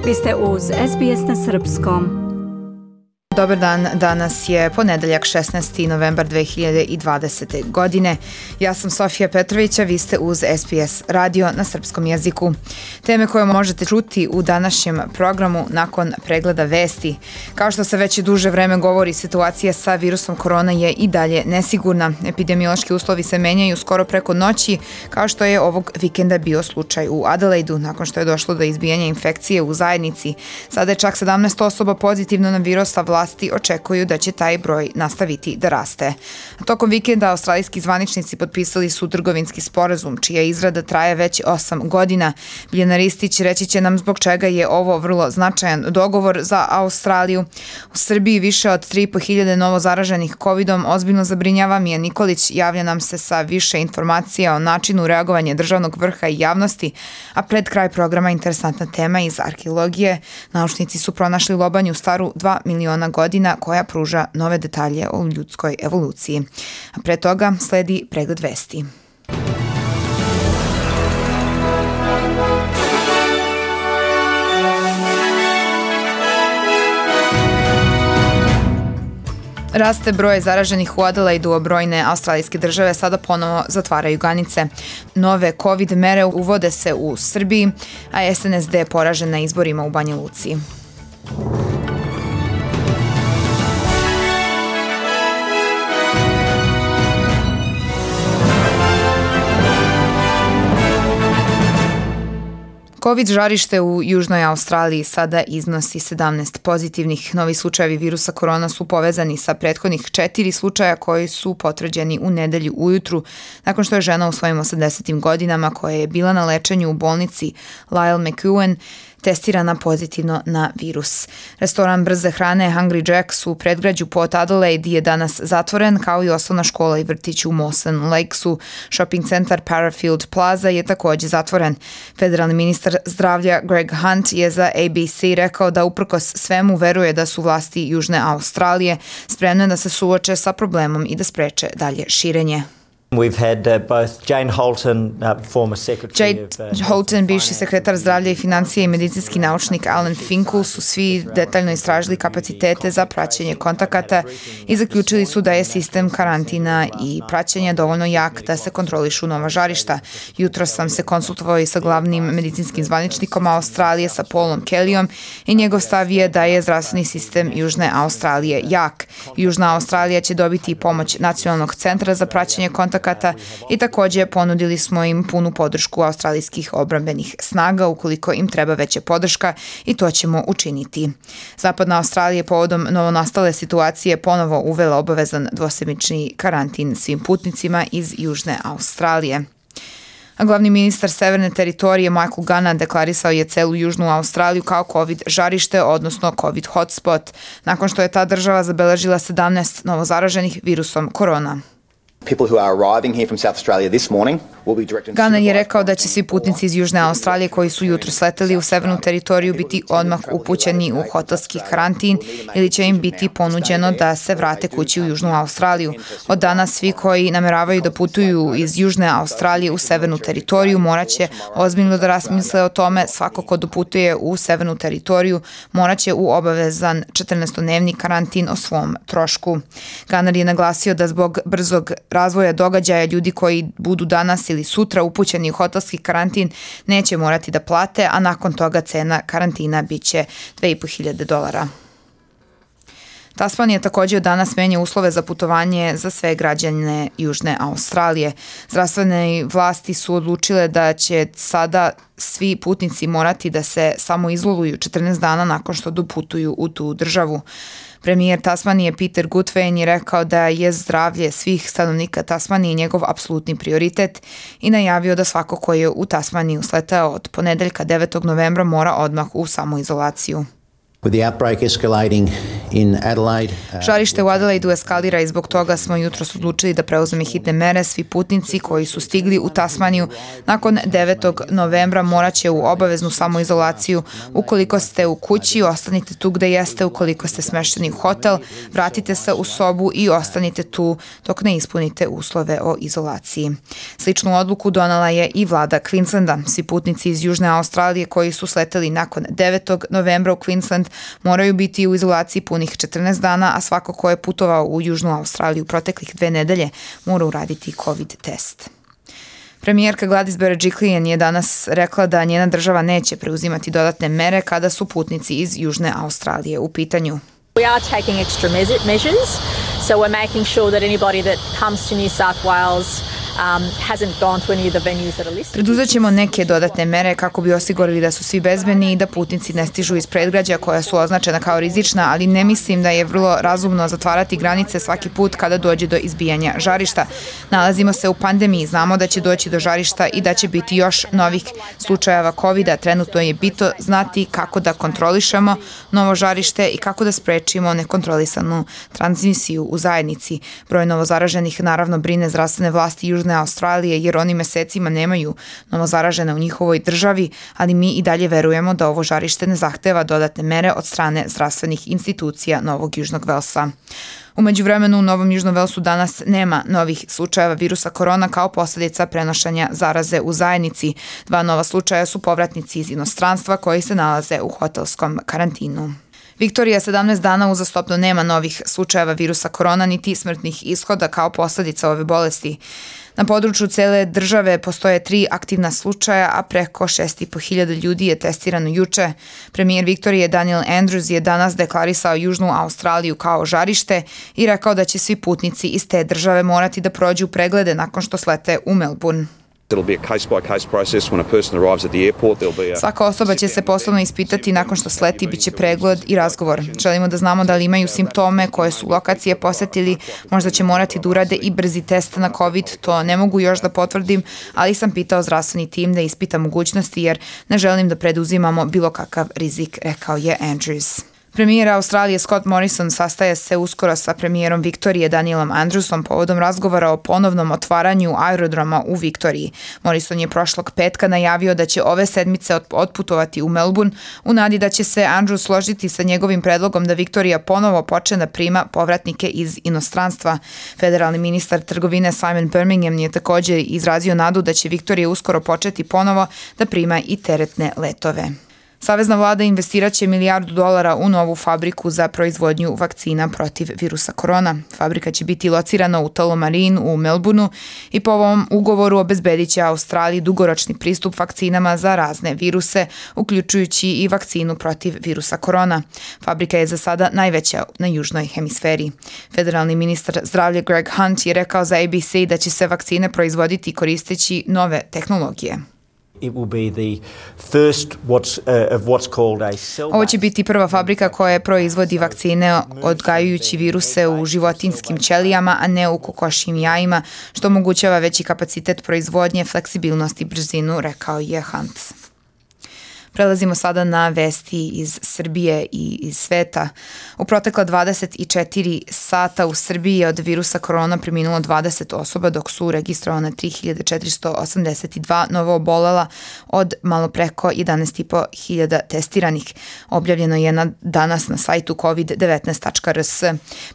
Vi ste uz SBS na Srpskom. Dobar dan, danas je ponedeljak 16. novembar 2020. godine. Ja sam Sofija Petrović, a vi ste uz SBS radio na srpskom jeziku. Teme koje možete čuti u današnjem programu nakon pregleda vesti. Kao što se već duže vreme govori, situacija sa virusom korona je i dalje nesigurna. Epidemiološki uslovi se menjaju skoro preko noći, kao što je ovog vikenda bio slučaj u Adelaidu, nakon što je došlo do izbijanja infekcije u zajednici. Sada je čak 17 osoba pozitivno na virus, a vlasti očekuju da će taj broj nastaviti da raste. Tokom vikenda australijski zvaničnici potpisali su trgovinski sporazum, čija izrada traje već 8 godina. Biljana Ristić reći će nam zbog čega je ovo vrlo značajan dogovor za Australiju. U Srbiji više od 3.500 novo zaraženih covidom ozbiljno zabrinjava. Mija Nikolić javlja nam se sa više informacija o načinu reagovanja državnog vrha i javnosti, a pred kraj programa interesantna tema iz arheologije. Naučnici su pronašli lobanju staru 2 miliona godina koja pruža nove detalje o ljudskoj evoluciji. A pre toga sledi pregled vesti. Raste broj zaraženih u Adelaidu, a brojne australijske države sada ponovo zatvaraju granice. Nove COVID mere uvode se u Srbiji, a SNSD je poražen na izborima u Banja Luci. COVID žarište u Južnoj Australiji sada iznosi 17 pozitivnih. Novi slučajevi virusa korona su povezani sa prethodnih 4 slučaja koji su potvrđeni u nedelju ujutru, nakon što je žena u svojim 80. godinama koja je bila na lečenju u bolnici Lyle McEwen testirana pozitivno na virus. Restoran brze hrane Hungry Jack's u predgrađu Port Adelaide je danas zatvoren, kao i osnovna škola i vrtić u Mawson Lakesu. Shopping centar Parafield Plaza je također zatvoren. Federalni ministar zdravlja Greg Hunt je za ABC rekao da uprkos svemu veruje da su vlasti Južne Australije spremne da se suoče sa problemom i da spreče dalje širenje. We've had both Jane Holton, former secretary Jade Holton, bivši sekretar zdravlja i financije i medicinski naučnik Alan Finkel su svi detaljno istražili kapacitete za praćenje kontakata i zaključili su da je sistem karantina i praćenja dovoljno jak da se kontrolišu nova žarišta. Jutro sam se konsultovao i sa glavnim medicinskim zvaničnikom Australije, sa Paulom Kellyom, i njegov stav je da je zdravstveni sistem Južne Australije jak. Južna Australija će dobiti pomoć Nacionalnog centra za praćenje kontakata i također ponudili smo im punu podršku australijskih odbrambenih snaga ukoliko im treba veća podrška, i to ćemo učiniti. Zapadna Australija povodom novonastale situacije ponovo uvela obavezan dvosedmični karantin svim putnicima iz Južne Australije. A glavni ministar Severne teritorije Michael Gunn deklarisao je celu Južnu Australiju kao COVID žarište, odnosno COVID hotspot, nakon što je ta država zabeležila 17 novozaraženih virusom korona. Gunn je rekao da će svi putnici iz Južne Australije koji su jutro sleteli u severnu teritoriju biti odmah upućeni u hotelski karantin ili će im biti ponuđeno da se vrate kući u Južnu Australiju. Od danas svi koji nameravaju da putuju iz Južne Australije u severnu teritoriju morat će ozbiljno da razmisle o tome. Svako ko doputuje u severnu teritoriju morat će u obavezan 14-dnevni karantin o svom trošku. Gunn je naglasio da zbog brzog razvoja događaja ljudi koji budu danas ili sutra upućeni u hotelski karantin neće morati da plate, a nakon toga cena karantina biće $2.500. Tasmanija također od danas menja uslove za putovanje za sve građane Južne Australije. Zdravstvene vlasti su odlučile da će sada svi putnici morati da se samo izoluju 14 dana nakon što doputuju u tu državu. Premijer Tasmanije Peter Gutwein je rekao da je zdravlje svih stanovnika Tasmanije njegov apsolutni prioritet i najavio da svako ko je u Tasmaniju sletao od ponedeljka 9. novembra mora odmah u samoizolaciju. With the outbreak escalating in Adelaide. Žarište u Adelaidu eskalira i zbog toga smo jutros odlučili da preuzme hitne mere. Svi putnici koji su stigli u Tasmaniju nakon 9. novembra moraće u obaveznu samoizolaciju. Ukoliko ste u kući, ostanite tu gde jeste. Ukoliko ste smešteni u hotel, vratite se u sobu i ostanite tu dok ne ispunite uslove o izolaciji. Sličnu odluku donela je i vlada Queenslanda. Svi putnici iz Južne Australije koji su sleteli nakon 9. novembra u Queensland moraju biti u izolaciji punih 14 dana, a svako ko je putovao u Južnu Australiju proteklih 2 nedelje mora uraditi COVID test. Premijerka Gladys Berejiklian je danas rekla da njena država neće preuzimati dodatne mere kada su putnici iz Južne Australije u pitanju. We are taking extra measures, so we're making sure that anybody that comes to New South Wales hasn't gone to any of the venues that are listed. Preduzet ćemo neke dodatne mere kako bi osigurali da su svi bezbedni i da putnici ne stižu iz predgrađa koja su označena kao rizična, ali ne mislim da je vrlo razumno zatvarati granice svaki put kada dođe do izbijanja žarišta. Nalazimo se u pandemiji, znamo da će doći do žarišta i da će biti još novih slučajeva COVID-a. Trenutno je bitno znati kako da kontrolišemo novo žarište i kako da sprečimo nekontrolisanu transmisiju u zajednici. Broj novozaraženih naravno brine zdravstvene vlasti Južne Australije jer oni mesecima nemaju novozaražene u njihovoj državi, ali mi i dalje verujemo da ovo žarište ne zahteva dodatne mere od strane zdravstvenih institucija Novog Južnog Velsa. U međuvremenu u Novom Južnom Velsu danas nema novih slučajeva virusa korona kao posljedica prenošenja zaraze u zajednici. 2 nova slučaja su povratnici iz inostranstva koji se nalaze u hotelskom karantinu. Viktorija 17 dana uzastopno nema novih slučajeva virusa korona niti smrtnih ishoda kao posljedica ove bolesti. Na području cele države postoje 3 aktivna slučaja, a preko 6.500 ljudi je testirano juče. Premijer Viktorije Daniel Andrews je danas deklarisao Južnu Australiju kao žarište i rekao da će svi putnici iz te države morati da prođu preglede nakon što slete u Melbourne. Svaka osoba će se poslovno ispitati nakon što sleti, bit će pregled i razgovor. Želimo da znamo da li imaju simptome, koje su lokacije posetili, možda će morati da urade i brzi test na COVID, to ne mogu još da potvrdim, ali sam pitao zdravstveni tim da ispita mogućnosti jer ne želim da preduzimamo bilo kakav rizik, rekao je Andrews. Premijer Australije Scott Morrison sastaje se uskoro sa premijerom Viktorije Danielom Andrewsom povodom razgovora o ponovnom otvaranju aerodroma u Viktoriji. Morrison je prošlog petka najavio da će ove sedmice otputovati u Melbourne u nadi da će se Andrews složiti sa njegovim predlogom da Viktorija ponovo počne da prima povratnike iz inostranstva. Federalni ministar trgovine Simon Birmingham je također izrazio nadu da će Viktorija uskoro početi ponovo da prima i teretne letove. Savezna vlada investirat će $1 milijardu u novu fabriku za proizvodnju vakcina protiv virusa korona. Fabrika će biti locirana u Tullamarine u Melbourneu i po ovom ugovoru obezbedit će Australiji dugoročni pristup vakcinama za razne viruse, uključujući i vakcinu protiv virusa korona. Fabrika je za sada najveća na južnoj hemisferi. Federalni ministar zdravlja Greg Hunt je rekao za ABC da će se vakcine proizvoditi koristeći nove tehnologije. Ovo će biti prva fabrika koja proizvodi vakcine odgajajući viruse u životinjskim ćelijama, a ne u kokošjim jajima, što omogućava veći kapacitet proizvodnje, fleksibilnost i brzinu, rekao je Hunt. Prelazimo sada na vesti iz Srbije i iz sveta. U protekla 24 sata u Srbiji je od virusa korona preminulo 20 osoba, dok su registrovane 3.482 novo obolela od malo preko 11.500 testiranih. Objavljeno je danas na sajtu covid19.rs.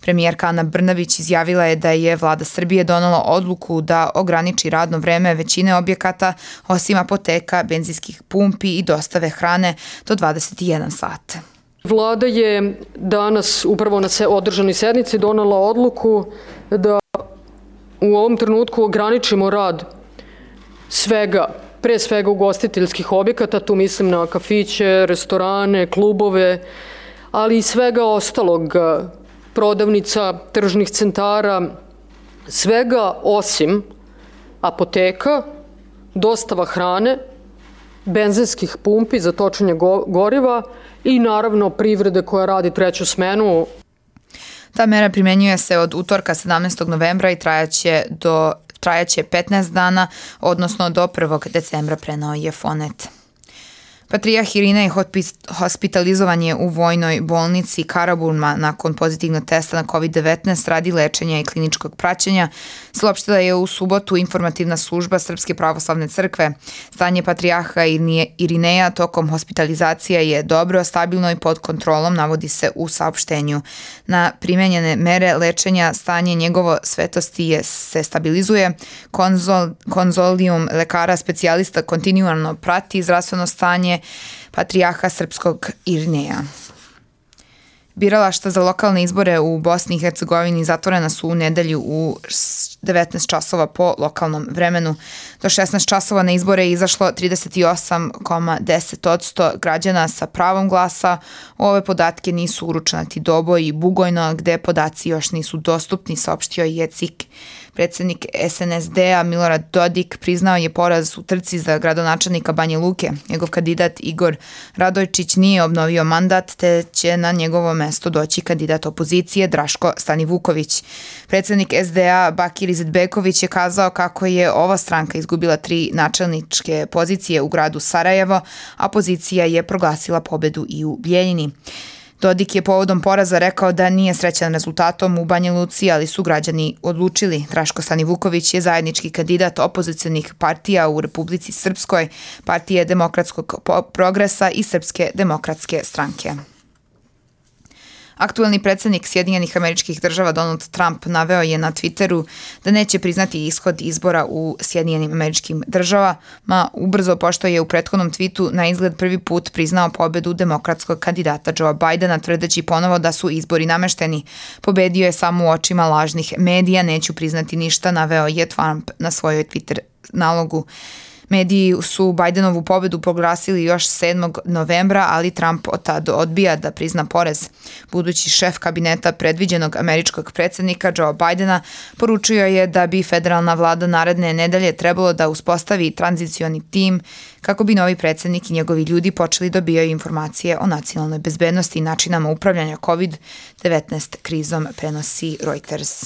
Premijerka Ana Brnabić izjavila je da je vlada Srbije donela odluku da ograniči radno vreme većine objekata, osim apoteka, benzinskih pumpi i dostave hrane do 21 sat. Vlada je danas upravo na održanoj sednici donela odluku da u ovom trenutku ograničimo rad pre svega ugostiteljskih objekata, tu mislim na kafiće, restorane, klubove, ali i svega ostalog, prodavnica, tržnih centara, svega osim apoteka, dostava hrane, benzinskih pumpi za točenje goriva i naravno privrede koja radi 3. smenu. Ta mera primenjuje se od utorka 17. novembra i trajaće 15 dana, odnosno do 1. decembra, preneo je Fonet. Patrijah Irinej hospitalizovan je u vojnoj bolnici Karaburma nakon pozitivnog testa na COVID-19 radi lečenja i kliničkog praćenja, saopštila je u subotu informativna služba Srpske pravoslavne crkve. Stanje patrijarha Irineja tokom hospitalizacije je dobro, stabilno i pod kontrolom, navodi se u saopštenju. Na primenjene mere lečenja stanje njegovo svetosti se stabilizuje. Konzolijum lekara specijalista kontinualno prati zdravstveno stanje patrijarha srpskog Irineja. Biralašta za lokalne izbore u Bosni i Hercegovini zatvorena su u nedelju u 19 časova po lokalnom vremenu. Do 16 časova na izbore je izašlo 38,10% građana sa pravom glasa. Ove podatke nisu uručenati Doboj i Bugojno, gde podaci još nisu dostupni, saopštio je CIK. Predsjednik SNSD-a Milorad Dodik priznao je poraz u trci za gradonačelnika Banja Luke. Njegov kandidat Igor Radojčić nije obnovio mandat, te će na njegovo mesto doći kandidat opozicije Draško Stanivuković. Predsjednik SDA Bakir Izetbegović je kazao kako je ova stranka izgubila 3 načelničke pozicije u gradu Sarajevo, a opozicija je proglasila pobedu i u Bijeljini. Dodik je povodom poraza rekao da nije srećan rezultatom u Banja Luci, ali su građani odlučili. Draško Stanivuković je zajednički kandidat opozicionih partija u Republici Srpskoj, Partije demokratskog progresa i Srpske demokratske stranke. Aktuelni predsjednik Sjedinjenih Američkih Država Donald Trump naveo je na Twitteru da neće priznati ishod izbora u Sjedinjenim Američkim Državama, ubrzo pošto je u prethodnom tweetu na izgled prvi put priznao pobedu demokratskog kandidata Joea Bidena, tvrdeći ponovo da su izbori namešteni. Pobedio je samo u očima lažnih medija, neću priznati ništa, naveo je Trump na svojoj Twitter nalogu. Mediji su Bidenovu pobedu proglasili još 7. novembra, ali Trump od tada odbija da prizna poraz. Budući šef kabineta predviđenog američkog predsjednika Joea Bidena poručio je da bi federalna vlada naredne nedelje trebalo da uspostavi tranzicioni tim kako bi novi predsjednik i njegovi ljudi počeli dobijaju informacije o nacionalnoj bezbednosti i načinama upravljanja COVID-19 krizom, prenosi Reuters.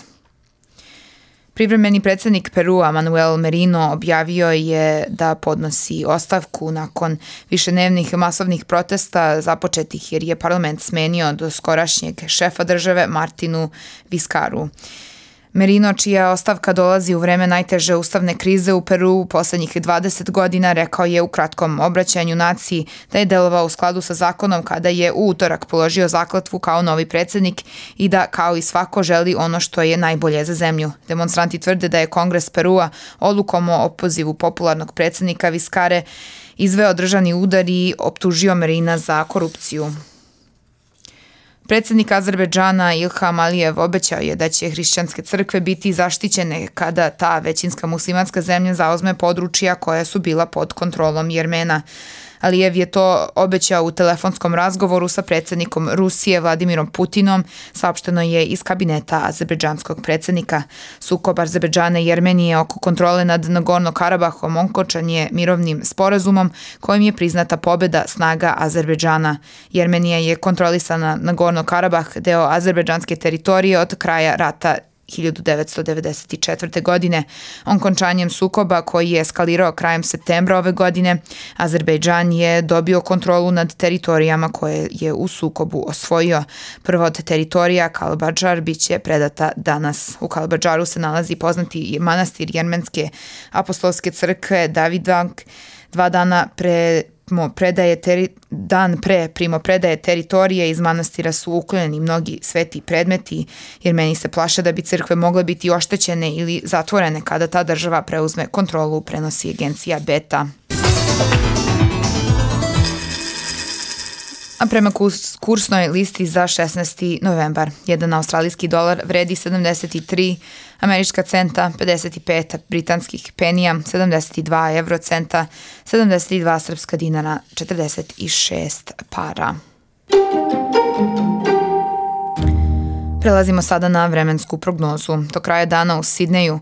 Privremeni predsjednik Perua Manuel Merino objavio je da podnosi ostavku nakon višednevnih masovnih protesta započetih jer je parlament smenio do skorašnjeg šefa države Martinu Vizcarru. Merino, čija ostavka dolazi u vreme najteže ustavne krize u Peruu poslednjih 20 godina, rekao je u kratkom obraćanju naciji da je delovao u skladu sa zakonom kada je u utorak položio zakletvu kao novi predsjednik i da, kao i svako, želi ono što je najbolje za zemlju. Demonstranti tvrde da je Kongres Perua odlukom o opozivu popularnog predsjednika Vizcarre izveo državni udar i optužio Merina za korupciju. Predsjednik Azerbejdžana Ilham Alijev obećao je da će hrišćanske crkve biti zaštićene kada ta većinska muslimanska zemlja zauzme područja koja su bila pod kontrolom Jermena. Alijev je to obećao u telefonskom razgovoru sa predsjednikom Rusije Vladimirom Putinom, saopšteno je iz kabineta azerbejdžanskog predsjednika. Sukob Azerbejdžana i Jermenije oko kontrole nad Nagorno-Karabahom okončan je mirovnim sporazumom kojim je priznata pobjeda snaga Azerbejdžana. Jermenija je kontrolisana Nagorno-Karabah, deo azerbejdžanske teritorije od kraja rata 1994. godine. Okončanjem sukoba koji je eskalirao krajem septembra ove godine, Azerbejdžan je dobio kontrolu nad teritorijama koje je u sukobu osvojio. Prva od teritorija, Kalbadžar, bit će predata danas. U Kalbadžaru se nalazi poznati manastir Jermenske apostolske crkve Davidvank. 2 dana dan pre primopredaje teritorije iz manastira su uklonjeni mnogi sveti predmeti, jer meni se plaše da bi crkve mogle biti oštećene ili zatvorene kada ta država preuzme kontrolu, prenosi agencija Beta. A prema kursnoj listi za 16. novembar, jedan australijski dolar vredi 73 američka centa, 55 britanskih penija, 72 eurocenta, 72 srpska dinara, 46 para. Prelazimo sada na vremensku prognozu. Do kraja dana u Sidneju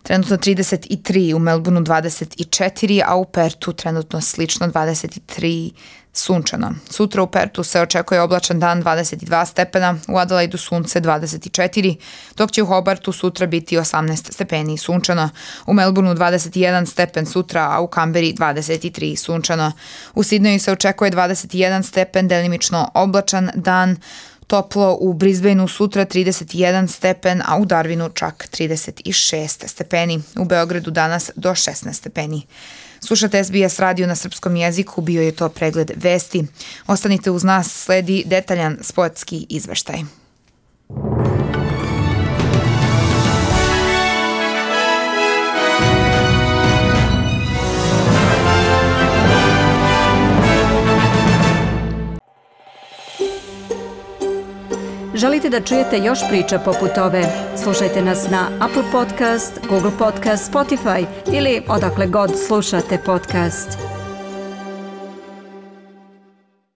trenutno 33, u Melbourneu 24, a u Pertu trenutno slično 23 sunčano. Sutra u Pertu se očekuje oblačan dan 22 stepena, u Adelaidu sunce 24, dok će u Hobartu sutra biti 18 stepeni sunčano, u Melbourneu 21 stepen sutra, a u Kamberi 23 sunčano. U Sidneju se očekuje 21 stepen, delimično oblačan dan, toplo u Brisbaneu sutra 31 stepen, a u Darwinu čak 36 stepeni. U Beogradu danas do 16 stepeni. Slušate SBS radio na srpskom jeziku, bio je to pregled vesti. Ostanite uz nas, sledi detaljan sportski izveštaj. Želite da čujete još priča poput ove? Slušajte nas na Apple Podcast, Google Podcast, Spotify ili odakle god slušate podcast.